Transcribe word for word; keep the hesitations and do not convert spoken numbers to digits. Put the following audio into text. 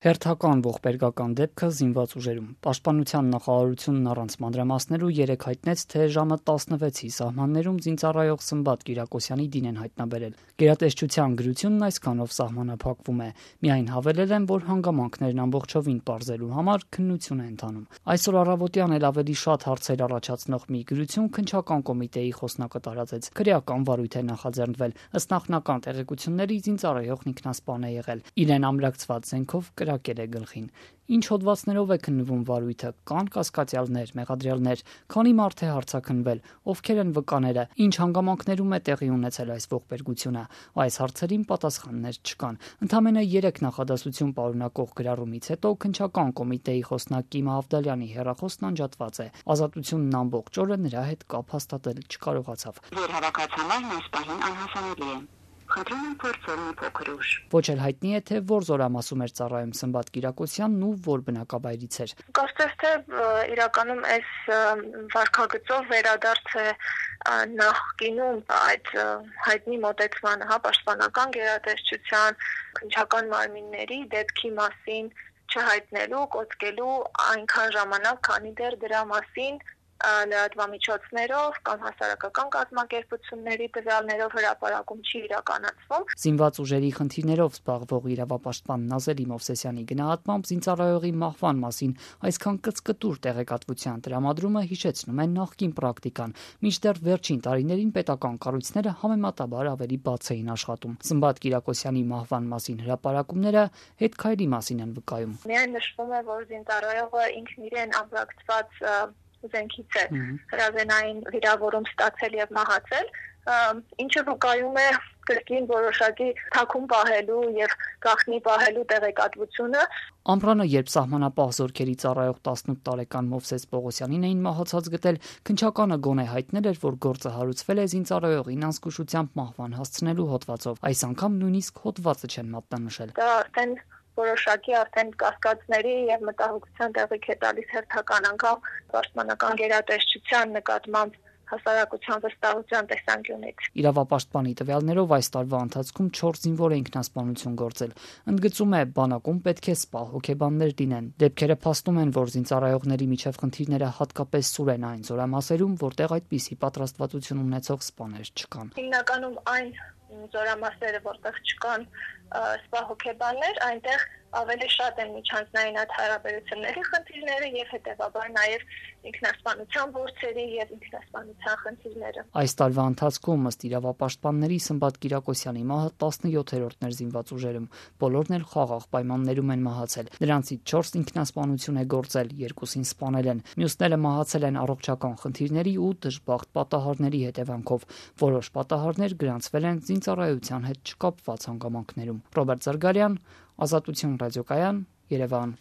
Հերթական ողբերգական դեպքը զինված ուժերում։ Պաշտպանության նախարարությունն առանց մանրամասներու երեկ հայտնեց, թե ժամը տասնվեցի սահմաններում զինծառայող Սմբատ Կիրակոսյանի դին են հայտնաբերել։ Գերատեսչության գրությունն այսքանով սահմանափակվում է։ Միայն հավելել են, որ հանգամանքներն ամբողջովին պարզելու համար քննություն է ընթանում։ Այսօր առավոտյան էլ ավելի շատ հարցեր առաջացնող մի գրություն քննչական կոմիտեի խոսնակը տարածեց։ Քրեական վարույթ է նախաձեռնվել։ Ըստ նախնական տեղեկությունների զինծառայողն ինքնասպան է եղել։ Իրեն ամրակցված զենքով կրակել է գլխին։ Ինչ հոդվածներով է քննվում վարույթը, կան կասկածյալներ, մեղադրյալներ, քանի մարդ է հարցաքննվել, ովքեր են վկաները, ինչ հանգամանքներում է տեղի ունեցել այս ողբերգությունը։ Այս հարցերին պատասխաններ չկան։ Ընդամենը երեք նախադասություն պարունակող գրառումից հետո քննչական կոմիտեի խոսնակ Կիմա Ավդալյանի հեռախոսն անջատված է։ Ազատությունն ամբողջ օրը նրա հետ կապ հաստատել չկարողացավ։ Որ հավաքածուներն այս պահին անհասանելի են։ Խնդրում եմ փորձել մի փոքր ուշ։ Ոչ էլ հայտնի է, թե որ զորամասում էր ծառայում Սմբատ Կիրակոսյանն ու որ բնակավայրից էր։ Կարծես թե իրականում այս վարքագծով վերադարձ է նախկինում այդ հայտնի մոտեցմանը, հա, պաշտպանական գերատեսչության քննչական մարմինների դեպքի մասին չհայտնելու, կոծկելու այնքան ժամանակ, քանի դեռ դրա մասին լրատվամիջոցներով կամ հասարակական կազմակերպությունների տվյալներով հրապարակում չի իրականացվում։ Զինված ուժերի խնդիրներով զբաղվող իրավապաշտպան Նազելի Մովսեսյանի գնահատմամբ զինծառայողի մահվան մասին այսքան կծկտուր տեղեկատվության տրամադրումը հիշեցնում է նախկին պրակտիկան, մինչդեռ վերջին տարիներին պետական կառույցները համեմատաբար ավելի բաց էին աշխատում։ Սմբատ Կիրակոսյանի մահվան մասին հրապարակումները հետքայլի մասին են վկայում։ Միայն նշվում է, որ զինծառայողը ինքն իրեն ամրակցված զենքից է հրազենային վիրավորում ստացել եւ մահացել, ինչը վկայում է կրկին որոշակի թաքուն պահելու եւ գաղտնի պահելու տեղեկատվությունը։ Ամռանը, երբ սահմանապահ զորքերի ծառայող տասնութ տարեկան Մովսես Պողոսյանին էին մահացած գտել, քննչականը գոնե հայտնել էր, որ գործը հարուցվել է զինծառայողին անզգուշությամբ մահվան հասցնելու հոդվածով։ Այս անգամ նույնիսկ հոդվածը չեն մատնանշել։ Դա արդեն որոշակի արդեն կասկածների եւ մտահոգության տեղիք է տալիս հերթական անգամ պաշտպանական գերատեսչության նկատմամբ հասարակության վստահության տեսանկյունից։ Իրավապաշտպանի տվյալներով այս տարվա ընթացքում չորս զինվոր է ինքնասպանություն գործել։ Ընդգծում է, բանակում պետք է սպա հոգեբաններ լինեն։ Դեպքերը փաստում են, որ զինծառայողների միջև խնդիրները հատկապես սուր են այն զորամասերում, որտեղ այդպիսի պատրաստվածություն ունեցող սպաներ չկան։ Հիմնականում այն զորամասերը, որտեղ չկան սպա հոգեբաններ, այնտեղ ավելի շատ են միջանձնային այդ հարաբերությունների խնդիրները եւ հետեւաբար նաեւ ինքնասպանության գործերի եւ ինքնասպանության խնդիրները։ Այս տարվա ընթացքում ըստ իրավապաշտպանների Սմբատ Կիրակոսյանի մահը տասնյոթերորդն էր զինված ուժերում։ Բոլորն էլ խաղաղ պայմաններում են մահացել։ Նրանցից չորս ինքնասպանություն է գործել, երկուսին սպանել են։ Մյուսները մահացել են առողջական խնդիրների ու դժբախտ պատահարների հետևանքով։ Որոշ պատահարներ գրանցվել են զինծառայության հետ չկապված հանգամանքներում։ Ռոբերտ Զարգարյան, Ազատություն ռադիոկայան, Երևան։